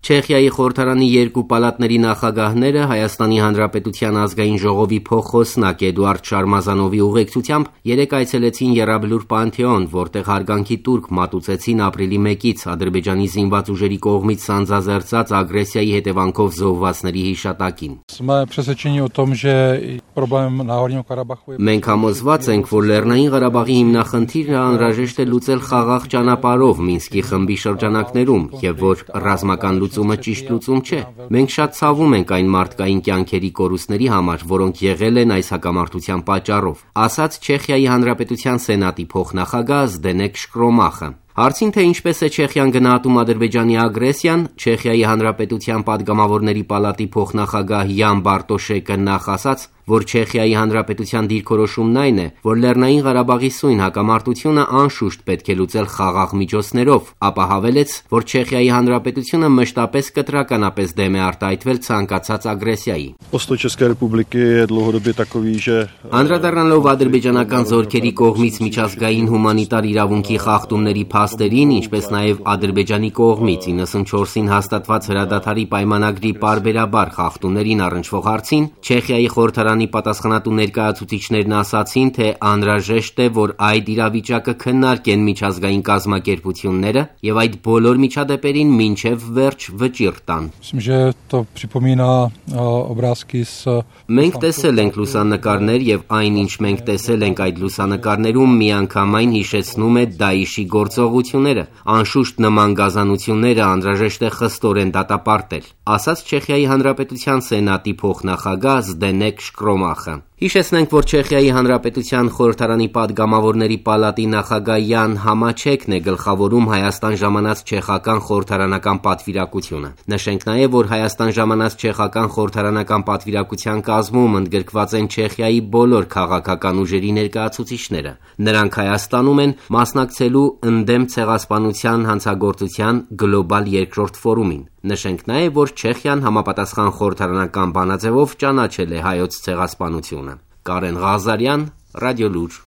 Չեխիայի խորհրդարանի երկու պալատների նախագահները Հայաստանի Հանրապետության ազգային ժողովի փոխխոսնակ Էդուարդ Շարմազանովի ուղեկցությամբ երեկ այցելեցին Եռաբլուր Պանթեոն, որտեղ հարգանքի տուրք մատուցեցին ապրիլի 1-ից Ադրբեջանի զինված ուժերի կողմից սանձազերծած ագրեսիայի հետևանքով զոհվածների հիշատակին։ Մենք համոզված ենք, որ Լեռնային Ղարաբաղի հիմնախնդիրը անհրաժեշտ է լուծել խաղաղ ճանապարհով Մինսկի խմբի շրջանակներում եւ որ ռազմական լուծումը ճիշտ լուծում չէ։ Մենք շատ ցավում ենք այն մարդկային կյանքերի կորուստների համար, որոնք եղել են այս հակամարտության պատճառով, ասաց Չեխիայի Հանրապետության Սենատի փոխնախագահ Զդենեկ Շկրոմախը։ Հարցին, թե ինչպես է Չեխիան գնահատում Ադրբեջանի ագրեսիան, Չեխիայի Հանրապետության Պատգամավորների պալատի փոխնախագահ Յան Բարտոշեկը նախ ասաց, որ Չեխիայի Հանրապետության դիրքորոշումն այն է, որ Լեռնային Ղարաբաղի սույն հակամարտությունը անշուշտ պետք է լուծել խաղաղ միջոցներով, ապա հավելեց, որ Չեխիայի Հանրապետությունը մշտապես կտրականապես դեմ է արտահայտվել ցանկացած ագրեսիայի։ Անդրադառնալով ադրբեջանական զորքերի կողմից միջազգային հումանիտար իրավունքի խախտումների փաստերին, ինչպես նաև Ադրբեջանի կողմից 94-ին հաստատված հրադադարի պայմանագրի պարբերաբար խախտումներին առնչվող հարցին, Չեխիայի խորհրդարանի պատասխանատու ներկայացուցիչներն ասացին, թե անհրաժեշտ է, որ այդ իրավիճակը քննարկեն միջազգային կազմակերպությունները եւ այդ բոլոր միջադեպերին մինչեւ վերջ վճիռ տան։ Մենք տեսել ենք լուսանկարներ եւ այն, ինչ մենք տեսել ենք այդ լուսանկարներում, միանգամայն հիշեցնում է Դաիշի գործողությունները, անշուշտ նման գազանությունները անհրաժեշտ է խստորեն դատապարտել, ասաց Չեխիայի Հանրապետության Սենատի փոխնախագահ Զդենեկ Շկրոմախը։ Հիշեցնենք, որ Չեխիայի Հանրապետության խորհրդարանի Պատգամավորների պալատի նախագահ Յան Համաչեկն է գլխավորում Հայաստան ժամանած չեխական խորհրդարանական պատվիրակությունը։ Նշենք նաև, որ Հայաստան ժամանած չեխական խորհրդարանական պատվիրակության կազմում ընդգրկված են Չեխիայի բոլոր քաղաքական ուժերի ներկայացուցիչները։ Նրանք Հայաստանում են մասնակցելու ընդդեմ ցեղասպանության հանցագործության գլոբալ երկրորդ ֆորումին։ Նշենք նաև, որ Չեխիան համապատասխան խորհրդարանական բանաձևով ճանաչել է հայոց ցեղասպանությունը։ Կարեն Ղազարյան, Ռադիոլուր։